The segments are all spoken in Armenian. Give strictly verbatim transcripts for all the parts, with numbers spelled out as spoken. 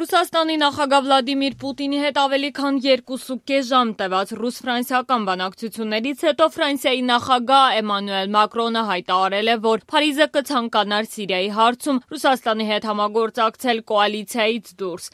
Ռուսաստանի նախագահ Վլադիմիր Պուտինի հետ ավելի քան երկուսուկես ժամ տևած ռուս-ֆրանսիական բանակցություններից հետո Ֆրանսիայի նախագահ Էմանուել Մակրոնը հայտարարել է, որ Փարիզը կցանկանար Սիրիայի հարցում Ռուսաստանի հետ համագործակցել կոալիցիայից դուրս։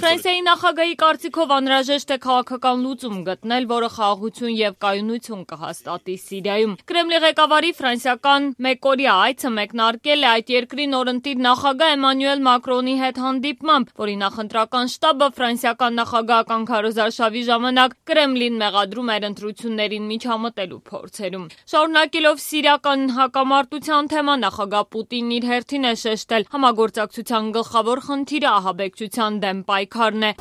Ֆրանսիայի նախագահի կարծիքով անհրաժեշտ է քաղաքական լուծում գտնել, որը խաղաղություն եւ կայունություն կհաստատի Սիրիայում։ Կրեմլի ղեկավարի ֆրանսիական մեկօրյա այցը մեկնարկել է այդ երկրի նորընտիր նախագահ Էմանուել Մակրոնի հետ հանդիպմամբ, որի նախընտրական շտաբը ֆրանսիական նախագահական քարոզարշավի ժամանակ Կրեմլին մեղադրում էր ընտրություններին միջամտելու փորձերում։ Շարունակելով սիրիական հակամարտության թեման, նախագահ Պուտինն իր հերթին է շեշտել համագործակցության գլխավոր խնդիրը ահաբեկչության դեմ պայքարն է։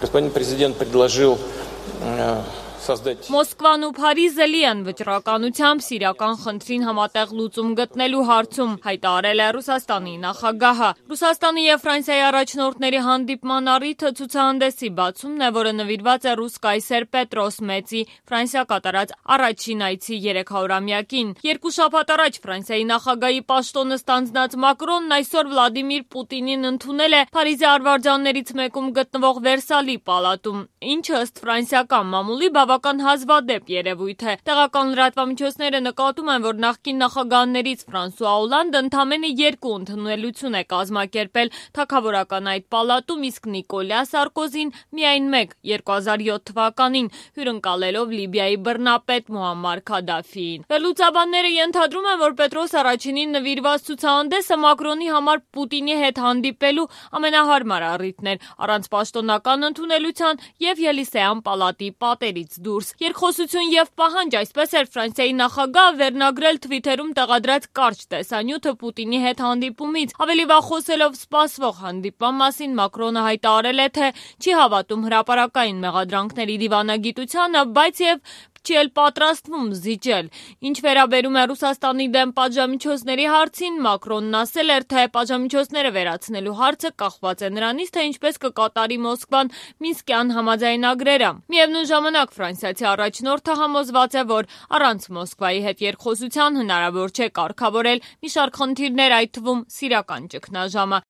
Մոսկվան ու Փարիզը լի են վճռականությամբ սիրիական խնդրին համատեղ լուծում գտնելու հարցում, հայտարարել է Ռուսաստանի նախագահը։ Ռուսաստանի եւ Ֆրանսիայի առաջնորդների հանդիպման առիթը ցուցահանդեսի բացումն է, որը նվիրված է ռուս կայսեր Պետրոս Մեծի Ֆրանսիա կատարած առաջին այցի երեքհորամյակին։ Երկու շաբաթ առաջ Ֆրանսիայի նախագահի պաշտոնը ստանձնած Մակրոնն այսօր Վլադիմիր Պուտինին ընդունել է Փարիզի արվարձաններից մեկում գտնվող Վերսալի պալատում, ինչը ըստ ֆրանսիական մամուլի բավական հազվադեպ երևույթ է։ Տեղական լրատվամիջոցները նկատում են, որ նախկին նախագահներից Ֆրանսուଆ Օլանդը ընդամենը երկու ընդունելություն է կազմակերպել թագավորական այդ պալատում, իսկ Նիկոլյա Սարկոզին միայն մեկ երկու հազար յոթ թվականին, հյուրընկալելով Լիբիայի բռնապետ Մուամմար Քադաֆիին։ Վերլուծաբանները ենթադրում են, որ Պետրոս առաջինին նվիրված ցուցահանդեսը Մակրոնի համար Պուտինի հետ հանդիպելու ամենահարմար առիթն էր, առանց պաշտոնական ընդունելության եւ Ելիսեյան պալատի պատերից դուրս։ Երկխոսություն եւ պահանջ, այսպես էր Ֆրանսիայի նախագահը վերնագրել Թվիթերում տեղադրած կարճ տեսանյութը Պուտինի հետ հանդիպումից։ Ավելի վաղ խոսելով սպասվող հանդիպման մասին, Մակրոնը հայտարարել է, թե չի հավատում հրապարակային մեղադրանքների դիվանագիտությանը, բայց եւ չի էլ պատրաստվում զիջել։ Ինչ վերաբերում է Ռուսաստանի դեմ պատժամիջոցների հարցին, Մակրոնն ասել էր, թե պատժամիջոցները վերացնելու հարցը կախված է նրանից, թե ինչպես կկատարի Մոսկվան Մինսկյան համաձայնագրերը։ Միևնույն ժամանակ ֆրանսիացի առաջնորդը համոզված է, որ առանց Մոսկվայի հետ երկխոսության հնարավոր չէ կարգավորել մի շարք խնդիրներ, այդ թվում սիրիական ճգնաժամը։